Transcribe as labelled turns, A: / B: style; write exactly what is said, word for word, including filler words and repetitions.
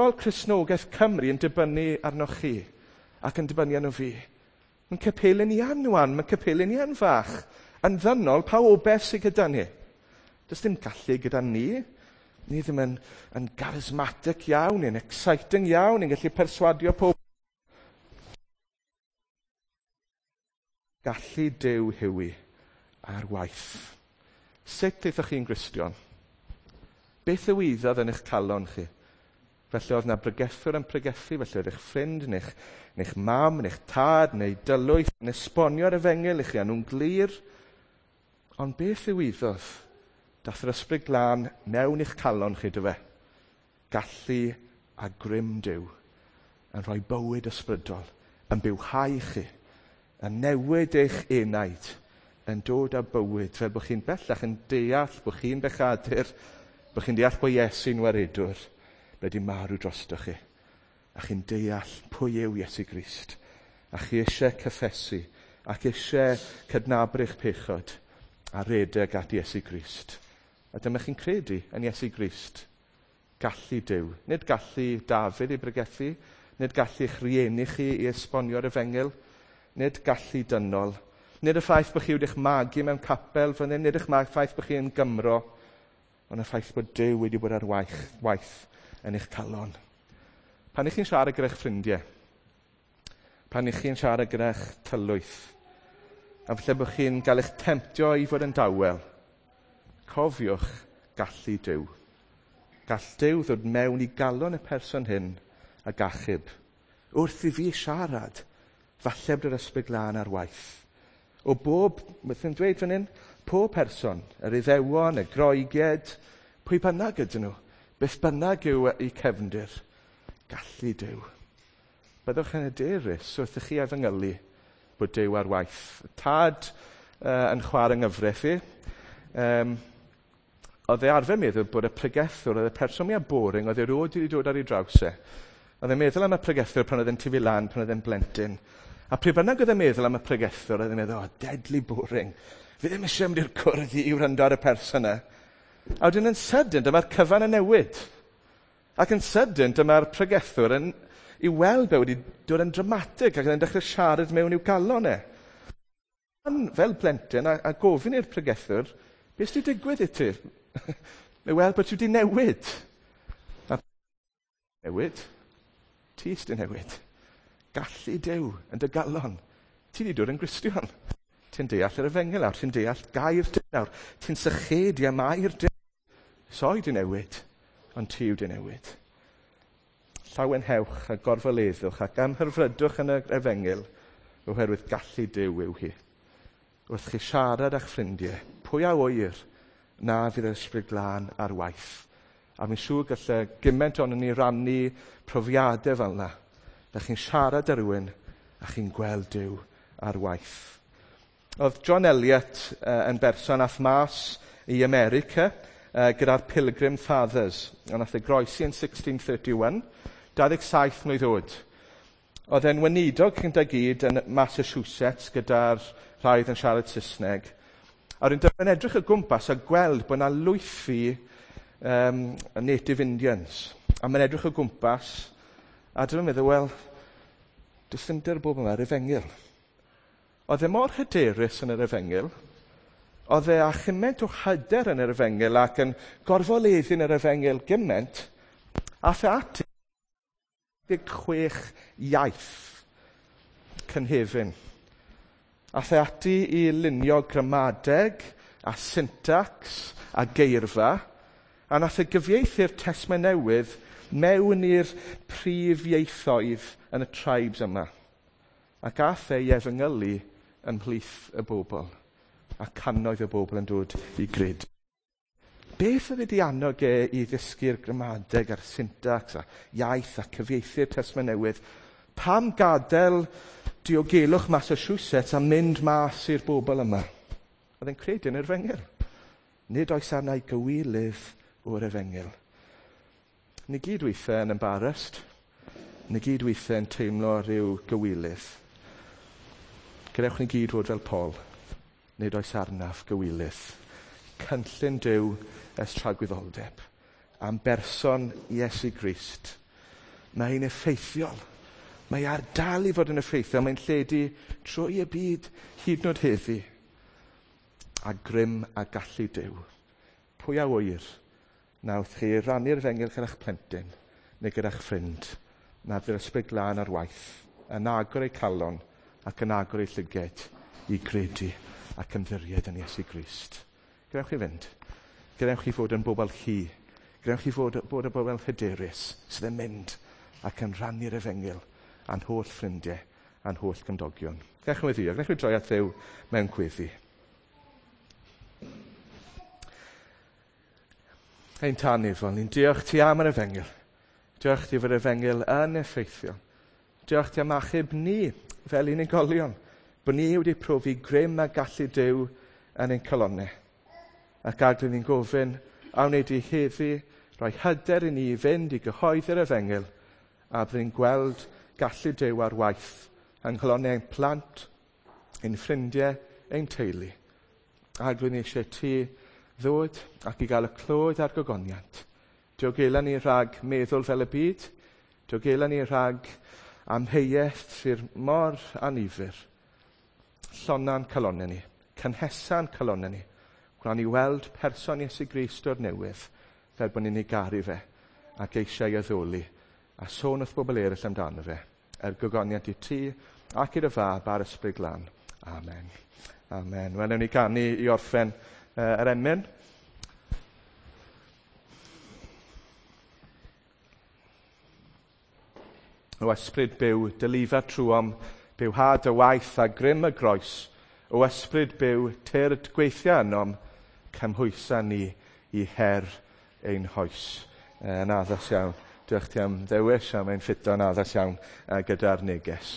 A: Dyfodol Cristnogaeth Cymru yn dibynnu arnoch chi ac yn dibynnu arno fi. Mae'n capeli ni yn wan, mae'n capeli ni yn fach. Yn ddynol, pa obaith sydd gyda ni? Does dim gallu gyda ni. Ni ddim yn, yn charismatic iawn, yn exciting iawn, yn gallu perswadio pob. Gallu Duw yw hi ar waith. Sut aethoch chi'n Gristion? Beth ddigwyddodd yn eich calon chi? Felly oedd na bregethwr yn pregethu, felly oedd eich ffrind, neu'ch, neu'ch mam, neu'ch tad, neu dylwyth, yn esbonio'r efengyl i chi, a nhw'n glir. Ond beth ddigwyddodd? Dath yr Ysbryd Glân mewn i'ch calon chi, do fe? Gallu a grym Duw yn rhoi bywyd ysbrydol, yn bywhau chi, yn newid eich enaid, yn dod â bywyd, fel bod chi'n bellach yn deall bod chi'n bechadur, bod chi'n deall bod Iesu'n waredwr, wedi marw drostoch chi. A chi'n deall pwy yw Iesu Grist. A chi eisiau cyffesu, ac eisiau cydnabod eich pechod, a redeg at Iesu Grist. A dyma chi'n credu yn Iesu Grist. Gallu Duw. Nid gallu Dafydd i bregethu, nid gallu eich rieni chi i esbonio'r efengyl, nid gallu dynol, nid y ffaith bod chi wedi'ch magu mewn capel fan hyn, nid y ffaith bod chi yn Gymro, ond y ffaith bod Duw wedi bod ar waith, waith yn eich calon. Pan ych chi'n siarad gyda'ch ffrindiau, pan ych chi'n siarad gyda'ch tylwyth, a falle bod chi'n cael eich temtio i fod yn dawel, cofiwch gallu Duw. Gall Duw ddod mewn i galon y person hyn ag achub. Wrth i fi siarad, falle bod yr Ysbryd Glân ar waith. O bob, beth yn dweud fan hyn, pob person, yr Iddewon, y Groegiaid, pwy bynnag ydyn nhw, beth bynnag yw eu cefndir, gallu Duw. Byddwch yn hyderus wrth i chi efengylu bod Duw ar waith. Tad uh, yn chwarae nghyfraith i, um, oedd e arfer meddwl bod y pregethwr, oedd y person mwyaf boring, oedd e erioed wedi dod ar ei draws e. Oedd e'n meddwl am y pregethwr pan oedd e'n tyfu lan, pan oedd e'n blentyn. A pryd bynnag oedd e'n meddwl am y pregethwr, oedd e'n meddwl, oh, deadly boring. Fi ddim eisiau mynd i'r cwrdd i wrando ar y person yna. A wedyn yn sydyn, dyma'r cyfan yn newid. Ac yn sydyn, dyma'r pregethwr yn, i weld be wedi dod yn dramatig ac yn dechrau siarad mewn i'w galon e. Fel plentyn, a, a gofyn i'r pregethwr, beth sydd wedi digwydd i ti? Mae weld bod ti wedi newid. A newid? Ti sydd wedi newid. Gallu Duw yn dy galon. Ti wedi dod yn Gristion. Ti'n deall yr efengyl nawr, ti'n deall gair Duw nawr. Ti'n sychedu am air Duw. Soi di newid, ond ti yw di newid. Llawenhewch a gorfoleddwch ac amhyrfrydwch yn yr efengyl oherwydd gallu Duw yw hi. Wrth chi siarad â'ch ffrindiau, pwy a ŵyr na fydd yr Ysbryd Glân ar waith. A fi'n siŵr gallai gymaint ohonon ni rannu profiadau fel yna. Da chi'n siarad â rhywun a chi'n gweld Duw ar waith. Oedd John Eliot uh, yn berson ath mas i America uh, gyda'r Pilgrim Fathers. A nath e groesi yn sixteen thirty-one, dau ddeg saith mlwydd oed. Oedd e'n weinidog gyda gyd yn Massachusetts gyda'r rhai oedd yn siarad Saesneg. A wedyn dyma'n edrych o gwmpas a gweld bod yna lwythi um, Native Indians. A mae'n edrych o gwmpas a dyma'n meddwl, wel, does dim dy'r bobl yma, yr efengyl. Oedd e mor hyderus yn yr efengyl, oedd e â chymaint o hyder yn yr efengyl ac yn gorfoleddu yn yr efengyl gymaint, ath e ati deg chwech iaith cynhefin. Ath e ati i lunio gramadeg a syntax a geirfa, a nath e gyfieithu'r Testament Newydd mewn i'r prif ieithoedd yn y tribes yma. Ac ath e i efengylu ymhlith y bobl, a cannoedd y bobl yn dod i gred. Beth oedd wedi annog e i ddysgu'r gramadeg a'r syntax a iaith a cyfieithu'r Testament Newydd? Pam gadael diogelwch Massachusetts a mynd mas i'r bobl yma? Oedd e'n credu yn yr efengyl. Nid oes arna i gywilydd o'r efengyl. Ni gyd weithiau yn embarrassed. Ni gyd weithiau yn teimlo rhyw gywilydd. Gadewch ni gyd fod fel Paul. Nid oes arnaf gywilydd. Cynllun Duw ers tragwyddoldeb. Am berson Iesu Grist. Mae'n effeithiol. Mae ar dal i fod yn effeithiol. Mae'n lledu trwy y byd hyd yn oed heddi. A grym a gallu Duw. Pwy a ŵyr nawth chi rannu'r efengyl gyda'ch plentyn neu gyda'ch ffrind, na fydd yr Ysbryd Glân ar waith, yn agor eu calon ac yn agor eu llyged i gredu ac ymddiried yn Iesu Grist. Gadewch chi fynd. Gadewch chi fod yn bobl chi. Gadewch chi fod, bod yn bobl hyderus sydd yn mynd ac yn rhannu'r efengyl a'n holl ffrindiau a'n holl gymdogion. Gadewch chi weddïo. Gadewch chi droi at Dduw mewn gweddi. Ein Tad nefol, ni'n diolch ti am yr efengyl. Diolch ti fod yr efengyl yn effeithiol. Diolch ti am achub ni fel unigolion, bod ni wedi profi grym a gallu Duw yn ein calonnau. Ac Arglwydd, ni'n gofyn, a wneud i heddi rhoi hyder i ni i fynd i gyhoeddi'r efengyl, a byddwn ni'n gweld gallu Duw ar waith yng nghalonnau ein plant, ein ffrindiau, ein teulu. Arglwydd, ni eisiau ti ddod ac i gael y clod a'r gogoniant. Diogela ni rhag meddwl fel y byd, diogela ni rhag amheuaeth sydd mor annifyr. Llonna'n calonnau ni, cynhesa'n calonnau ni. Gwna ni weld person Iesu Grist o'r newydd, fel bod ni'n ei garu fe ac eisiau ei addoli, a sôn wrth bobl eraill amdano fe, er gogoniant i ti ac i'r Fab a'r Ysbryd Glân. Amen. Amen. Wel, newn ni ganu i orffen uh, yr emyn. O ysbryd byw, dylifa trwom, bywhad y waith a grym y groes. O ysbryd byw, tyrd gweithio ynom, cymhwysa ni i her ein hoes. Yn addas iawn. Diolch ti am ddewis, a mae'n ffito'n addas iawn gyda'r neges.